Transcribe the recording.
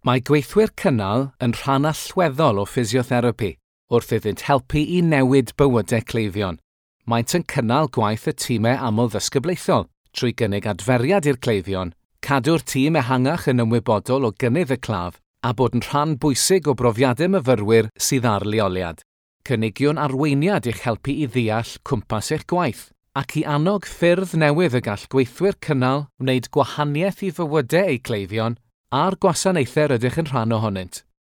Mae gweithwyr cynnal yn rhan allweddol o ffisiotherapi wrth iddynt helpu i newid bywydau cleifion. Maent yn cynnal gwaith y tîmau amlddisgyblaethol trwy gynnig adferiad i'r cleifion, cadw'r tîm ehangach yn ymwybodol o gynnydd y claf a bod yn rhan bwysig o brofiadau myfyrwyr sydd ar leoliad. Cynigiwn arweiniad i'ch helpu i ddeall cwmpas eich gwaith ac i annog ffyrdd newydd y gall gweithwyr cynnal wneud gwahaniaeth i fywydau eu cleifion a'r gwasanaethau rydych yn rhan ohonynt.